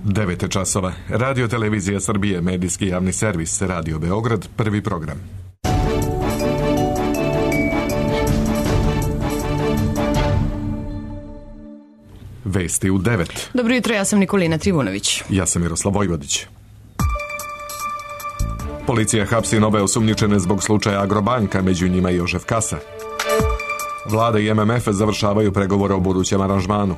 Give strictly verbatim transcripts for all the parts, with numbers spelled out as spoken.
devet časova. Radio Televizija Srbije, medijski javni servis, Radio Beograd, prvi program. Vesti u devet. Dobro jutro, ja sam Nikolina Trivunović. Ja sam Miroslav Vojvodić. Policija hapsi nove osumnjičene zbog slučaja Agrobanka, među njima i Jožef Kasa. Vlada i M M F završavaju pregovore o budućem aranžmanu.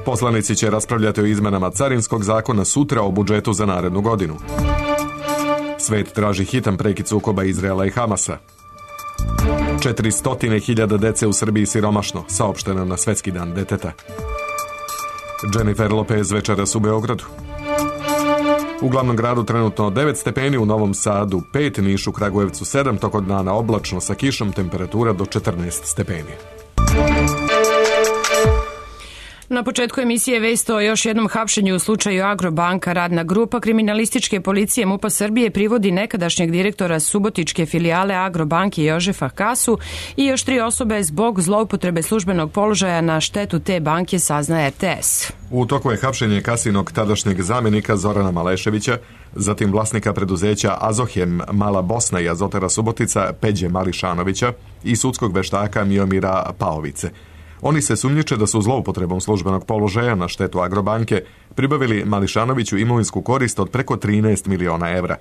Poslanici će raspravljati o izmenama carinskog zakona sutra o budžetu za narednu godinu. Svet traži hitan prekid sukoba Izraela i Hamasa. četiristo hiljada dece u Srbiji siromašno, saopšteno na Svetski dan deteta. Jennifer Lopez večeras u Beogradu. U glavnom gradu trenutno devet stepeni, u Novom Sadu pet, Nišu, Kragujevcu sedam, tokom dana oblačno sa kišom, temperatura do četrnaest stepeni. Na početku emisije vest o još jednom hapšenju u slučaju Agrobanka. Radna grupa kriminalističke policije MUP-a Srbije privodi nekadašnjeg direktora subotičke filijale Agrobanke Jožefa Kasu i još tri osobe zbog zloupotrebe službenog položaja na štetu te banke, saznaje R T S. U toku je hapšenje Kasinog tadašnjeg zamjenika Zorana Maleševića, zatim vlasnika preduzeća Azohem Mala Bosna i Azotara Subotica Peđe Mališanovića i sudskog veštaka Miomira Paovice. Oni se sumnjiče da su zloupotrebom službenog položaja na štetu Agrobanke pribavili Mališanoviću imovinsku korist od preko trinaest miliona evra.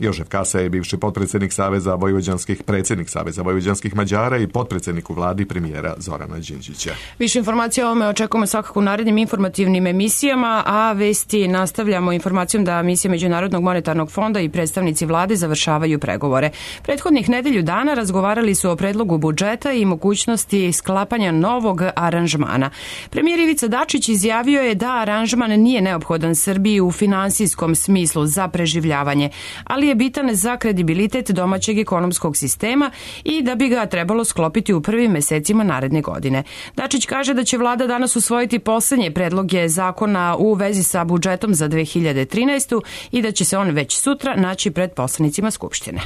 Jožef Kasa je bivši potpredsjednik Saveza vojvođanskih, predsjednik Saveza vojvođanskih Mađara i potpredsjednik u vladi premijera Zorana Đinđića. Više informacija o ovome očekujemo svakako u narednim informativnim emisijama, a vesti nastavljamo informacijom da misija Međunarodnog monetarnog fonda i predstavnici vlade završavaju pregovore. Prethodnih nedelju dana razgovarali su o predlogu budžeta i mogućnosti sklapanja novog aranžmana. Premijer Ivica Dačić izjavio je da aranžman nije neophodan Srbiji u finansijskom smislu za preživljavanje, ali je bitan za kredibilitet domaćeg ekonomskog sistema i da bi ga trebalo sklopiti u prvim mesecima naredne godine. Dačić kaže da će vlada danas usvojiti poslednje predloge zakona u vezi sa budžetom za dve hiljade trinaestu. i da će se on već sutra naći pred poslanicima Skupštine.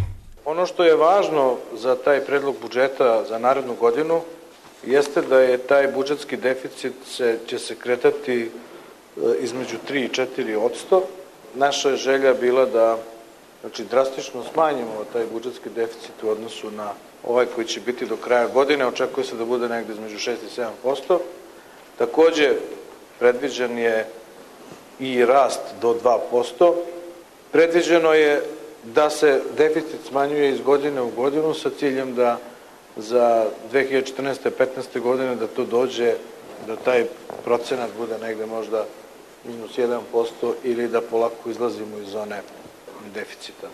Ono što je važno za taj predlog budžeta za narednu godinu jeste da je taj budžetski deficit se, će se kretati između tri i četiri posto. Naša je želja bila da Znači, drastično smanjimo taj budžetski deficit u odnosu na ovaj koji će biti do kraja godine. Očekuje se da bude negde između šest i sedam posto. Takođe, predviđen je i rast do dva posto. Predviđeno je da se deficit smanjuje iz godine u godinu sa ciljem da za dve hiljade četrnaeste. petnaeste. godine da to dođe, da taj procenat bude negde možda minus jedan posto ili da polako izlazimo iz zone deficita.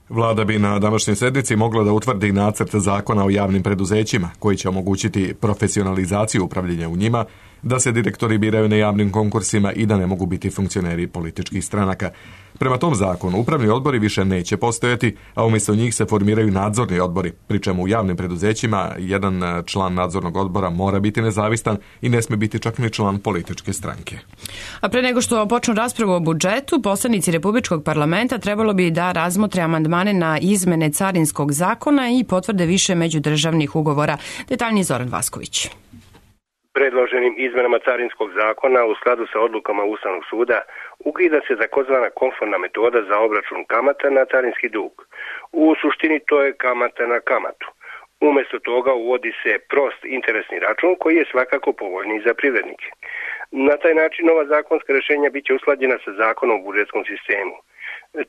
Vlada bi na današnjoj sednici mogla da utvrdi nacrt zakona o javnim preduzećima, koji će omogućiti profesionalizaciju upravljanja u njima, da se direktori biraju na javnim konkursima i da ne mogu biti funkcioneri političkih stranaka. Prema tom zakonu, upravni odbori više neće postojati, a umjesto njih se formiraju nadzorni odbori, pri čemu u javnim preduzećima jedan član nadzornog odbora mora biti nezavistan i ne smije biti čak ni član političke stranke. A pre nego što počnu raspravu o budžetu, poslanici Republičkog parlamenta trebalo bi da razmotre amandmane na izmene carinskog zakona i potvrde više međudržavnih ugovora. Detaljnije Zoran Vasković. Predloženim izmenama carinskog zakona u skladu sa odlukama Ustavnog suda ukida se takozvana konformna metoda za obračun kamata na carinski dug. U suštini to je kamata na kamatu. Umesto toga uvodi se prost interesni račun koji je svakako povoljniji za privrednike. Na taj način ova zakonska rešenja biće usklađena sa zakonom o budžetskom sistemu.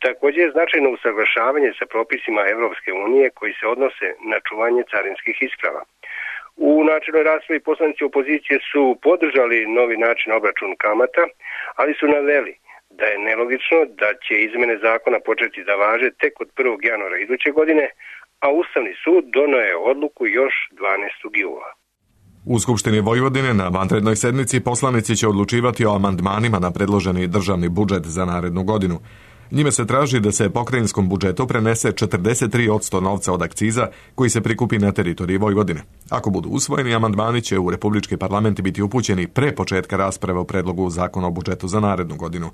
Također je značajno usaglašavanje sa propisima Evropske unije koji se odnose na čuvanje carinskih isprava. U načelnoj raspravi poslanici opozicije su podržali novi način obračuna kamata, ali su naveli da je nelogično da će izmene zakona početi da važe tek od prvog januara iduće godine, a Ustavni sud doneo je odluku još dvanaestog jula. U Skupštini Vojvodine na vanrednoj sednici poslanici će odlučivati o amandmanima na predloženi državni budžet za narednu godinu. Njime se traži da se pokrajinskom budžetu prenese četrdeset tri posto novca od akciza koji se prikupi na teritoriji Vojvodine. Ako budu usvojeni, amandmani će u Republički parlament biti upućeni pre početka rasprave o predlogu zakona o budžetu za narednu godinu.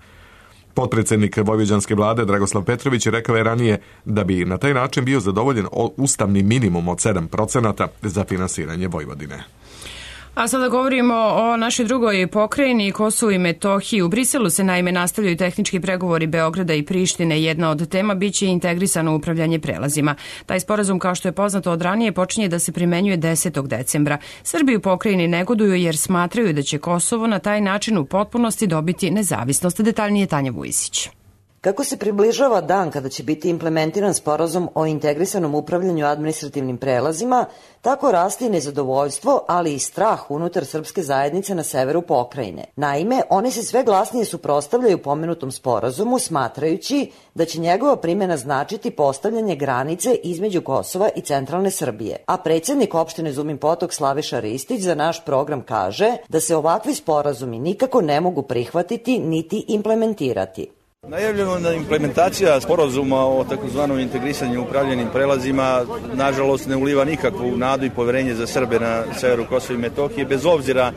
Potpredsjednik vojvođanske vlade Dragoslav Petrović rekao je ranije da bi na taj način bio zadovoljen ustavni minimum od sedam procenata za finansiranje Vojvodine. A sada govorimo o našoj drugoj pokrajini, Kosovu i Metohiji. U Briselu se naime nastavljaju tehnički pregovori Beograda i Prištine. Jedna od tema biće integrisano upravljanje prelazima. Taj sporazum, kao što je poznato od ranije, počinje da se primenjuje desetog decembra. Srbi u pokrajini negoduju jer smatraju da će Kosovo na taj način u potpunosti dobiti nezavisnost. Detaljnije Tanja Vujisić. Kako se približava dan kada će biti implementiran sporazum o integrisanom upravljanju administrativnim prelazima, tako raste i nezadovoljstvo, ali i strah unutar srpske zajednice na severu pokrajine. Naime, oni se sve glasnije suprotstavljaju pomenutom sporazumu, smatrajući da će njegova primjena značiti postavljanje granice između Kosova i centralne Srbije. A predsjednik opštine Zumin Potok Slaviša Ristić za naš program kaže da se ovakvi sporazumi nikako ne mogu prihvatiti niti implementirati. Najavljena implementacija sporazuma o takozvanom integrisanju upravljenim prelazima nažalost ne uliva nikakvu nadu i poverenje za Srbe na severu Kosova i Metohije, bez obzira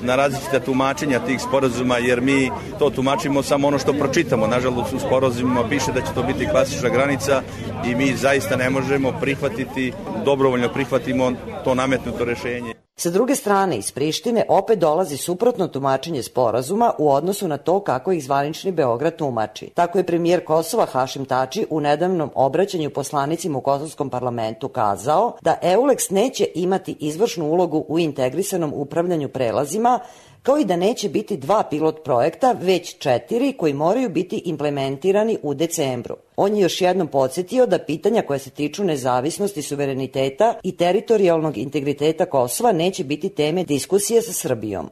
na različita tumačenja tih sporazuma, jer mi to tumačimo samo ono što pročitamo. Nažalost u sporazumima piše da će to biti klasična granica i mi zaista ne možemo prihvatiti, dobrovoljno prihvatimo to nametnuto rešenje. Sa druge strane, iz Prištine opet dolazi suprotno tumačenje sporazuma u odnosu na to kako ih zvanični Beograd tumači. Tako je premijer Kosova Hašim Tači u nedavnom obraćanju poslanicima u Kosovskom parlamentu kazao da EULEX neće imati izvršnu ulogu u integrisanom upravljanju prelazima, kao i da neće biti dva pilot projekta, već četiri koji moraju biti implementirani u decembru. On je još jednom podsjetio da pitanja koja se tiču nezavisnosti, suvereniteta i teritorijalnog integriteta Kosova neće biti teme diskusije sa Srbijom.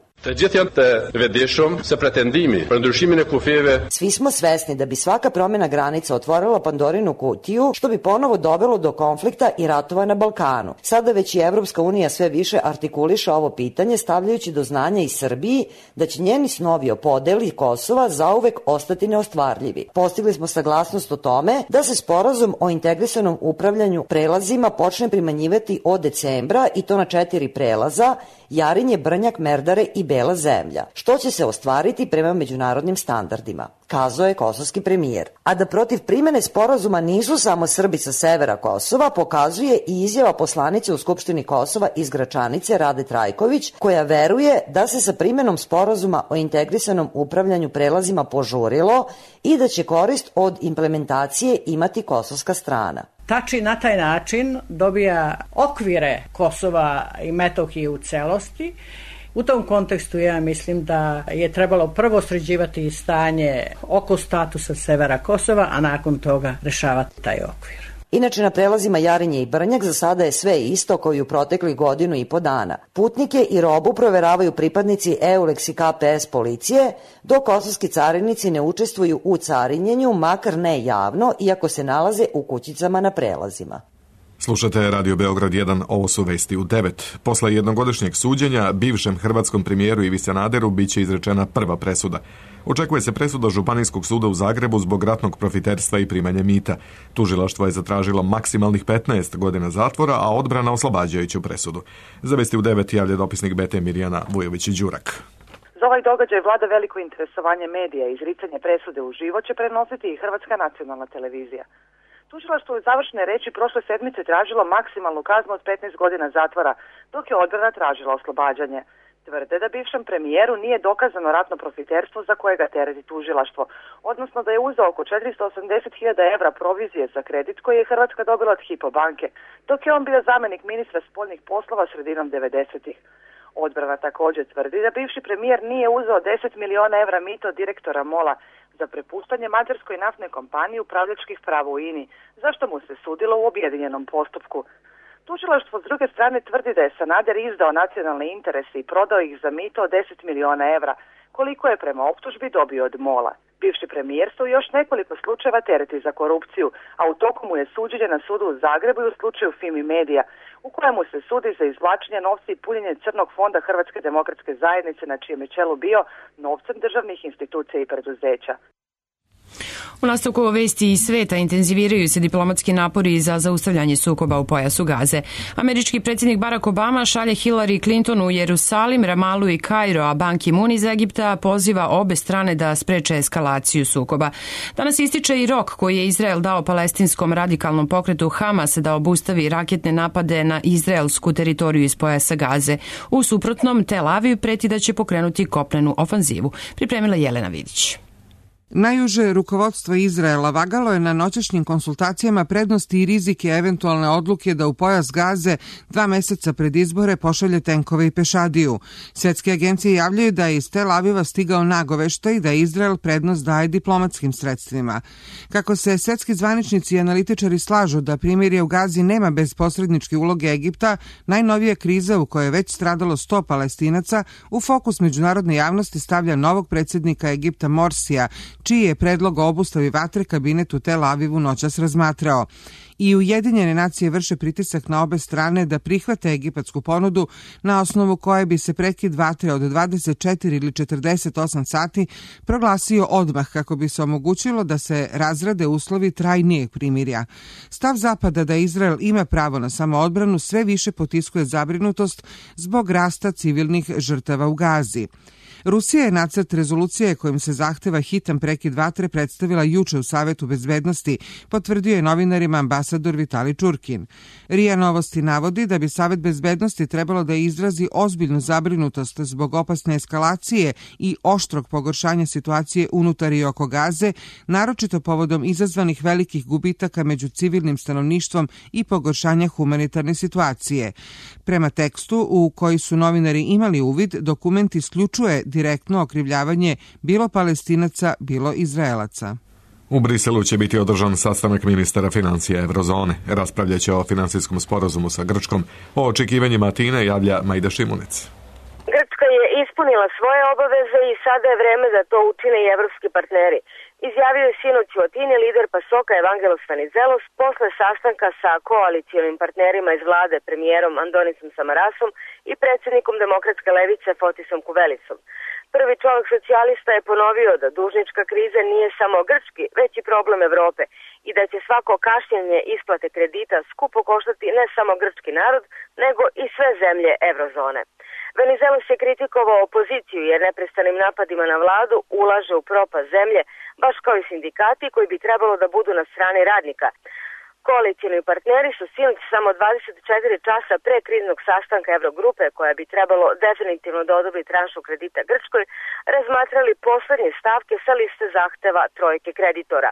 Svi smo svesni da bi svaka promjena granica otvorila Pandorinu kutiju, što bi ponovo dovelo do konflikta i ratova na Balkanu. Sada već i Evropska unija sve više artikuliše ovo pitanje, stavljajući do znanja i Srbiji da će njeni snovi o podeli Kosova zauvek ostati neostvarljivi. Postigli smo saglasnost o tome da se sporazum o integrisanom upravljanju prelazima počne primenjivati od decembra i to na četiri prelaza: Jarinje, Brnjak, Merdare i Bela zemlja, što će se ostvariti prema međunarodnim standardima, kazao je kosovski premijer. A da protiv primene sporazuma nisu samo Srbi sa severa Kosova, pokazuje i izjava poslanice u Skupštini Kosova iz Gračanice Rade Trajković, koja veruje da se sa primenom sporazuma o integrisanom upravljanju prelazima požurilo i da će korist od implementacije imati kosovska strana. Tači na taj način dobija okvire Kosova i Metohije u celosti. U tom kontekstu ja mislim da je trebalo prvo sređivati stanje oko statusa severa Kosova, a nakon toga rešavati taj okvir. Inače, na prelazima Jarinje i Brnjak za sada je sve isto kao i u proteklih godinu i po dana. Putnike i robu proveravaju pripadnici EULEX i K P S policije, dok kosovski carinici ne učestvuju u carinjenju, makar ne javno, iako se nalaze u kućicama na prelazima. Slušate Radio Beograd jedan, ovo su vesti u devet. Posle jednogodišnjeg suđenja, bivšem hrvatskom premijeru Ivi Sanaderu biće izrečena prva presuda. Očekuje se presuda Županijskog suda u Zagrebu zbog ratnog profiterstva i primanja mita. Tužilaštvo je zatražilo maksimalnih petnaest godina zatvora, a odbrana oslobađajuću presudu. Za vesti u devet javlja dopisnik B T Mirjana Vujović-Đurak. Za ovaj događaj vlada veliko interesovanje medija i izricanje presude uživo će prenositi i Hrvatska nacionalna televizija. Tužilaštvo u završne reči prošle sedmice tražilo maksimalnu kaznu od petnaest godina zatvora, dok je odbrana tražila oslobađanje. Tvrde da bivšem premijeru nije dokazano ratno profiterstvo za koje ga tereti tužilaštvo, odnosno da je uzeo oko četiristo osamdeset hiljada evra provizije za kredit koji je Hrvatska dobila od Hypo banke, dok je on bio zamenik ministra spoljnih poslova sredinom devedesetih. Odbrana također tvrdi da bivši premijer nije uzeo deset miliona evra mito od direktora Mola za prepuštanje mađarskoj naftnoj kompaniji upravljačkih prava u I N I, zašto mu se sudilo u objedinjenom postupku. Tužilaštvo s druge strane tvrdi da je Sanader izdao nacionalne interese i prodao ih za mito od deset miliona evra, koliko je prema optužbi dobio od Mola. Bivši premijer se u još nekoliko slučajeva tereti za korupciju, a u toku mu je suđenje na sudu u Zagrebu i u slučaju Fimi Media, u kojemu se sudi za izvlačenje novca i punjenje crnog fonda Hrvatske demokratske zajednice, na čijem je čelu bio novcem državnih institucija i preduzeća. U nastavku vesti iz sveta intenziviraju se diplomatski napori za zaustavljanje sukoba u pojasu Gaze. Američki predsjednik Barack Obama šalje Hillary Clinton u Jerusalim, Ramalu i Kairo, a Ban Ki-moon iz Egipta poziva obe strane da spreče eskalaciju sukoba. Danas ističe i rok koji je Izrael dao palestinskom radikalnom pokretu Hamas da obustavi raketne napade na izraelsku teritoriju iz pojasa Gaze. U suprotnom, Tel Aviv preti da će pokrenuti kopnenu ofanzivu. Pripremila Jelena Vidić. Najuže rukovodstvo Izraela vagalo je na noćašnjim konsultacijama prednosti i rizike eventualne odluke da u pojas Gaze dva meseca pred izbore pošalje tenkove i pešadiju. Svetske agencije javljaju da je iz Tel Aviva stigao nagoveštaj da Izrael prednost daje diplomatskim sredstvima. Kako se svetski zvaničnici i analitičari slažu da primirje u Gazi nema bez posredničke uloge Egipta, najnovija kriza u kojoj je već stradalo sto Palestinaca u fokus međunarodne javnosti stavlja novog predsjednika Egipta Morsija, čiji je predlog o obustavi vatre kabinet u Tel Avivu noćas razmatrao. I Ujedinjene nacije vrše pritisak na obe strane da prihvate egipatsku ponudu na osnovu koje bi se prekid vatre od dvadeset četiri ili četrdeset osam sati proglasio odmah kako bi se omogućilo da se razrade uslovi trajnijeg primirja. Stav Zapada da Izrael ima pravo na samoodbranu sve više potiskuje zabrinutost zbog rasta civilnih žrtava u Gazi. Rusija je nacrt rezolucije kojim se zahteva hitan prekid vatre predstavila juče u Savetu bezbednosti, potvrdio je novinarima ambasador Vitali Čurkin. RIA Novosti navodi da bi Savet bezbednosti trebalo da izrazi ozbiljnu zabrinutost zbog opasne eskalacije i oštrog pogoršanja situacije unutar i oko Gaze, naročito povodom izazvanih velikih gubitaka među civilnim stanovništvom i pogoršanja humanitarne situacije. Prema tekstu u koji su novinari imali uvid, dokument isključuje direktno okrivljavanje bilo Palestinaca, bilo Izraelaca. U Briselu će biti održan sastanak ministara financija Eurozone. Raspravljaće o finansijskom sporazumu sa Grčkom. O očekivanjima Atine javlja Majda Šimunic. Grčka je ispunila svoje obaveze i sada je vreme da to učine i evropski partneri. Izjavio je sinoć u Atini lider Pasoka Evangelos Venizelos posle sastanka sa koalicijonim partnerima iz vlade, premijerom Andonisom Samarasom i predsjednikom demokratske levice Fotisom Kuvelicom. Prvi čovjek socijalista je ponovio da dužnička kriza nije samo grčki, već i problem Evrope i da će svako kašnjenje isplate kredita skupo koštati ne samo grčki narod, nego i sve zemlje Evrozone. Venizelos je kritikovao opoziciju jer neprestanim napadima na vladu ulaže u propast zemlje, baš kao i sindikati koji bi trebalo da budu na strani radnika. Koalicijni partneri su sinoć samo dvadeset četiri časa pre kriznog sastanka Evrogrupe, koja bi trebalo definitivno da odobri tranšu kredita Grčkoj, razmatrali poslednje stavke sa liste zahteva trojke kreditora.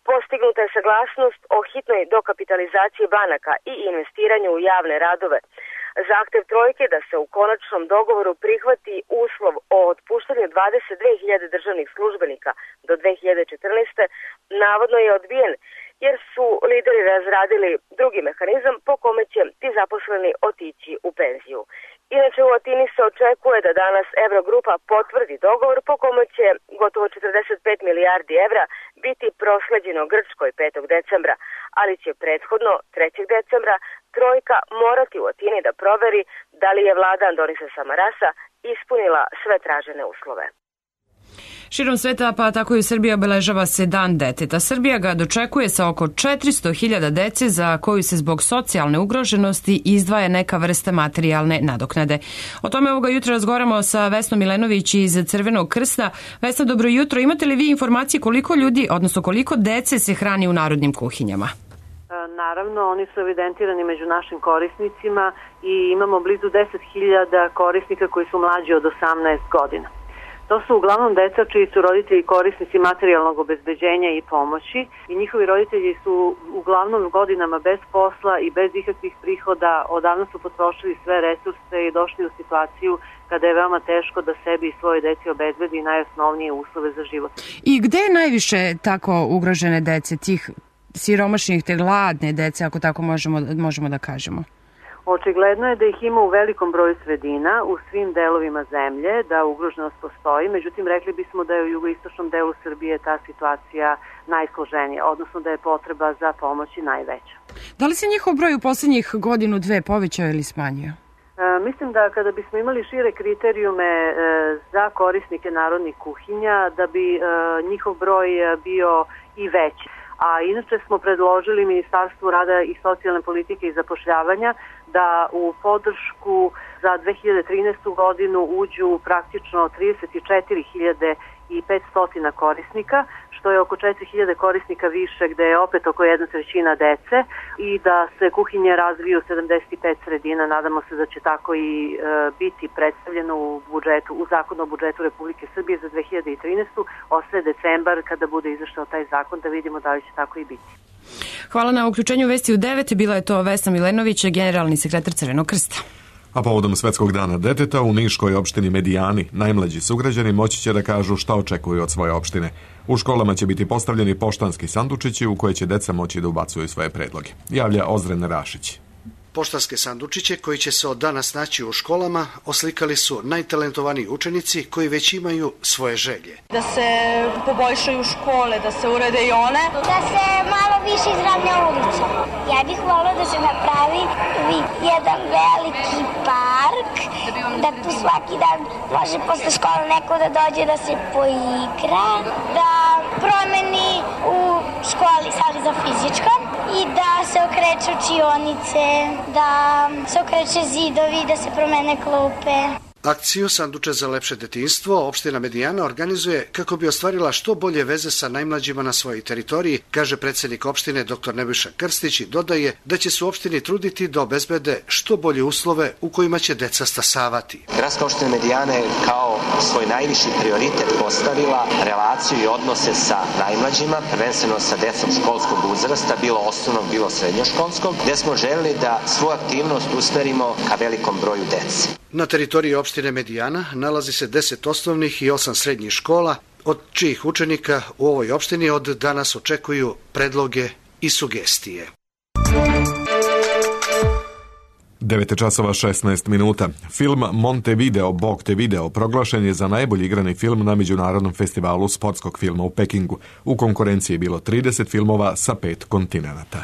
Postignuta je saglasnost o hitnoj dokapitalizaciji banaka i investiranju u javne radove. Zahtev trojke da se u konačnom dogovoru prihvati uslov o otpuštanju dvadeset dve hiljade državnih službenika do dve hiljade četrnaeste. navodno je odbijen, jer su lideri razradili drugi mehanizam po kome će ti zaposleni otići u penziju. Inače, u Atini se očekuje da danas Evrogrupa potvrdi dogovor po kome će gotovo četrdeset pet milijardi evra biti prosleđeno Grčkoj petog decembra, ali će prethodno trećeg decembra trojka morati u Atini da proveri da li je vlada Andonisa Samarasa ispunila sve tražene uslove. Širom sveta, pa tako i u Srbiji, obeležava se Dan deteta. Srbija ga dočekuje sa oko četiristo hiljada dece za koju se zbog socijalne ugroženosti izdvaja neka vrsta materijalne nadoknade. O tome ovoga jutra razgovaramo sa Vesnom Milenović iz Crvenog krsta. Vesna, dobro jutro. Imate li vi informacije koliko ljudi, odnosno koliko dece se hrani u narodnim kuhinjama? Naravno, oni su evidentirani među našim korisnicima i imamo blizu deset hiljada korisnika koji su mlađi od osamnaest godina. To su uglavnom deca čiji su roditelji korisnici materijalnog obezbeđenja i pomoći i njihovi roditelji su uglavnom godinama bez posla i bez ikakvih prihoda, odavno su potrošili sve resurse i došli u situaciju kada je veoma teško da sebi i svoje deci obezbedi najosnovnije uslove za život. I gde je najviše tako ugrožene dece, tih siromašnih, te gladne dece, ako tako možemo, možemo da kažemo? Očigledno je da ih ima u velikom broju sredina, u svim delovima zemlje, da ugroženost postoji, međutim rekli bismo da je u jugoistočnom delu Srbije ta situacija najsloženija, odnosno da je potreba za pomoći najveća. Da li se njihov broj u poslednjih godinu, dve povećao ili smanjio? Mislim da kada bismo imali šire kriterijume za korisnike narodnih kuhinja, da bi njihov broj bio i veći. A inače smo predložili Ministarstvu rada i socijalne politike i zapošljavanja da u podršku za dve hiljade trinaestu godinu uđu praktično trideset četiri hiljade petsto korisnika, što je oko četiri hiljade korisnika više, gde je opet oko jedna trećina dece, i da se kuhinje razviju u sedamdeset pet sredina. Nadamo se da će tako i e, biti predstavljeno u budžetu, u zakonu o budžetu Republike Srbije za dve hiljade trinaestu. Ostaje decembar kada bude izašao taj zakon, da vidimo da li će tako i biti. Hvala na uključenju Vesti u devet. Bila je to Vesna Milenović, generalni sekretar Crvenog krsta. A povodom Svetskog dana deteta u Niškoj opštini Medijani najmlađi sugrađani moći će da kažu šta očekuju od svoje opštine. U školama će biti postavljeni poštanski sandučići u koje će deca moći da ubacuju svoje predloge. Javlja Ozren Rašić. Poštanske sandučiće koji će se od danas naći u školama oslikali su najtalentovaniji učenici koji već imaju svoje želje. Da se poboljšaju škole, da se urede i one. Da se malo više izravnja ulica. Ja bih volila da se napravi jedan veliki park, da tu svaki dan može posle škole neko da dođe da se poigra, da promeni u školi sali za fizičko i da se okreću učionice, da se okreće zidovi, da se promene klupe. Akciju Sanduče za lepše detinjstvo opština Medijana organizuje kako bi ostvarila što bolje veze sa najmlađima na svojoj teritoriji, kaže predsednik opštine dr Nebojša Krstić, i dodaje da će se u opštini truditi da obezbede što bolje uslove u kojima će deca stasavati. Gradska opština Medijana je kao svoj najviši prioritet postavila relaciju i odnose sa najmlađima, prvenstveno sa decom školskog uzrasta, bilo osnovnog, bilo srednjoškolskog, gde smo želeli da svoju aktivnost usmerimo ka velikom broju dece. Na teritoriji opštine Medijana nalazi se deset osnovnih i osam srednjih škola, od čijih učenika u ovoj opštini od danas očekuju predloge i sugestije. devet časova šesnaest minuta. Film Montevideo, Bog te video proglašen je za najbolji igrani film na Međunarodnom festivalu sportskog filma u Pekingu. U konkurenciji je bilo trideset filmova sa pet kontinenata.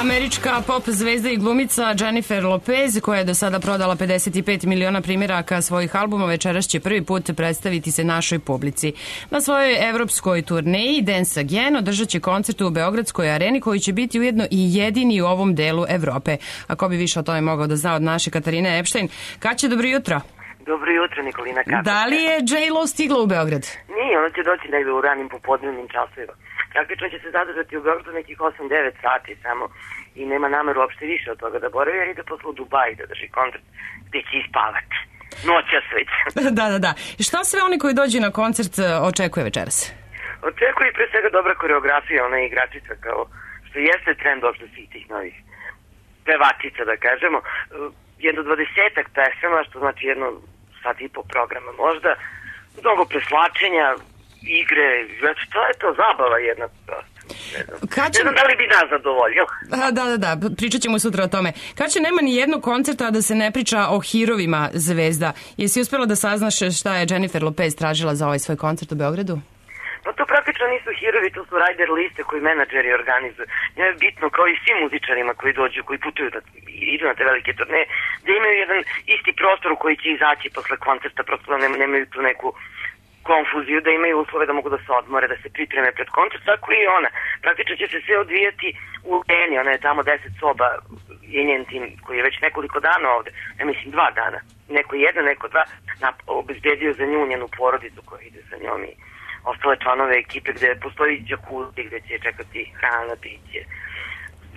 Američka pop zvezda i glumica Jennifer Lopez, koja je do sada prodala pedeset pet miliona primjeraka svojih albuma, večeras će prvi put predstaviti se našoj publici. Na svojoj evropskoj turneji Dance Again održat će koncert u Beogradskoj areni, koji će biti ujedno i jedini u ovom delu Evrope. A ko bi više o tome mogao da zna od naše Katarine Epstein? Kaće, dobro jutro. Dobro jutro, Nikolina. Kako? Da li je J-Lo stigla u Beograd? Nije, ona će doći negdje u ranim popodnevnim časovima. Praktično će se zadržati u Beogradu nekih osam devet sati samo i nema nameru uopšte više od toga da boravi, jer ide posle u Dubai da drži koncert gde će ispavati. Noća sveć. Da, da, da. Šta sve oni koji dođu na koncert očekuje večeras? Očekuje pre svega dobra koreografija, ona je igračica, kao što jeste trend uopšte svih tih novih pevačica, da kažemo. Jedno dvadesetak pesama, što znači jedno sat i po programa možda, mnogo preslačenja, igre, znači to je to zabava jedna prosto. Ne znam, Kad će... ne znam da li bi nas zadovoljio. Da, da, da, pričat ćemo sutra o tome. Kad će nema ni jednog koncerta da se ne priča o hirovima zvezda? Jesi uspjela da saznaš šta je Jennifer Lopez tražila za ovaj svoj koncert u Beogradu? Pa to praktično nisu hirovi, to su rider liste koji menadžeri organizuju. Njima je bitno, kao i svim muzičarima koji dođu, koji putuju, da idu na te velike turneje, da imaju jedan isti prostor u koji će izaći posle koncerta, prosto da nemaju tu neku konfuziju, da imaju uslove da mogu da se odmore, da se pripreme pred koncert, tako i ona. Praktično će se sve odvijati u Eni, ona je tamo deset soba, je njen tim koji je već nekoliko dana ovde, ja mislim dva dana, neko jedan, neko dva, obezbedio za nju njenu porodicu koja ide sa njom i ostale članove ekipe gde postoji džakuzi, gde će čekati hrana, piće,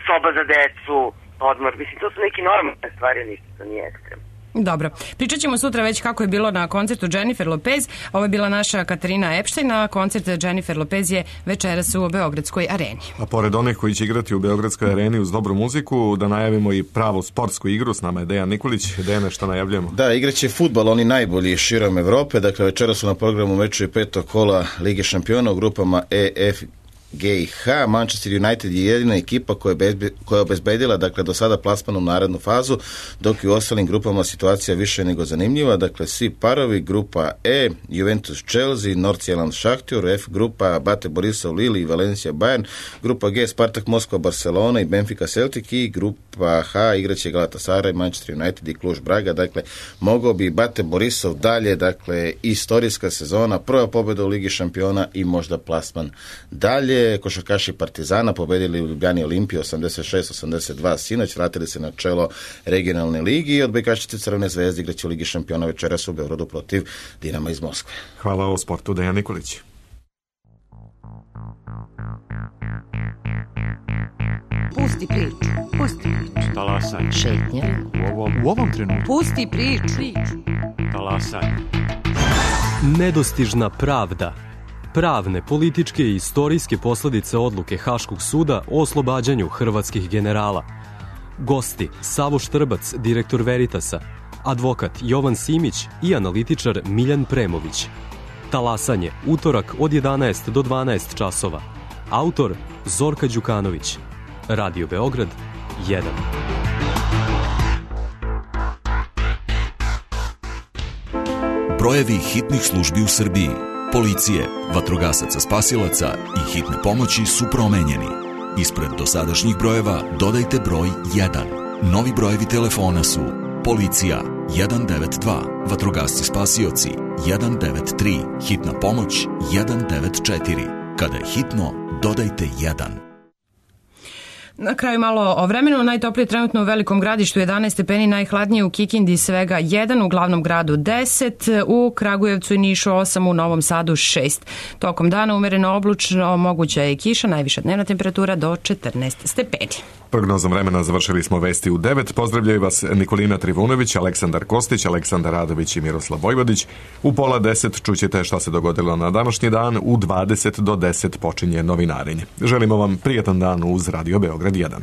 soba za decu, odmor. Mislim, to su neki normalne stvari, ništa, to nije ekstremno. Dobro. Pričat ćemo sutra već kako je bilo na koncertu Jennifer Lopez. Ovo je bila naša Katarina Epstein, a koncert Jennifer Lopez je večeras u Beogradskoj areni. A pored onih koji će igrati u Beogradskoj areni uz dobru muziku, da najavimo i pravu sportsku igru. S nama je Dejan Nikolić. Dejane, šta najavljamo? Da, igraće fudbal, oni najbolji širom Evrope. Dakle, večeras su na programu mečevi petog kola Lige šampiona u grupama E, F G i H. Manchester United je jedina ekipa koja je, bezbe, koja je obezbedila dakle, do sada plasman u narednu fazu, dok i u ostalim grupama situacija više nego zanimljiva. Dakle, svi parovi, grupa E, Juventus Chelsea, Nordsjælland Šahtjor, F grupa Bate Borisov Lille i Valencia Bayern, grupa G Spartak Moskva Barcelona i Benfica Celtic i grupa H igraće Galatasaray, Manchester United i Cluj Braga. Dakle, mogao bi Bate Borisov dalje, dakle, istorijska sezona, prva pobjeda u Ligi šampiona i možda plasman dalje. Košarkaši Partizana pobedili u Ljubljani Olimpiju osamdeset šest osamdeset dva sinoć, vratili se na čelo regionalne ligi i odbojkašice Crvene zvezde igraće u Ligi šampiona večeras u Beogradu protiv Dinama iz Moskve. Hvala o sportu, Dejan Nikolić. Pusti priču, pusti priču. Talasaj. Šetnja. U ovom, u ovom trenutku. Pusti priču. Talasaj. Nedostižna pravda. Pravne, političke i istorijske posledice odluke Haškog suda o oslobađanju hrvatskih generala. Gosti Savo Štrbac, direktor Veritasa, advokat Jovan Simić i analitičar Miljan Premović. Talasanje, utorak od jedanaest do dvanaest časova. Autor Zorka Đukanović. Radio Beograd jedan. Brojevi hitnih službi u Srbiji, policije, vatrogasaca spasilaca i hitne pomoći su promenjeni. Ispred dosadašnjih brojeva dodajte broj jedan. Novi brojevi telefona su policija jedan devet dva, vatrogasci spasioci jedan devet tri, hitna pomoć jedan devet četiri. Kada je hitno, dodajte jedan. Na kraju malo o vremenu. Najtoplije trenutno u Velikom Gradištu jedanaest stepeni, najhladnije u Kikindi svega jedan, u glavnom gradu deset, u Kragujevcu i Nišu osam, u Novom Sadu šest. Tokom dana umereno oblačno, moguća je kiša, najviša dnevna temperatura do četrnaest stepeni. Prognozom vremena završili smo vesti u devet. Pozdravljaju vas Nikolina Trivunović, Aleksandar Kostić, Aleksandar Radović i Miroslav Vojvodić. U pola deset čućete šta se dogodilo na današnji dan. U dvadeset do deset počinje novinarenje. Želimo vam prijetan dan uz Radio Beograd jedan.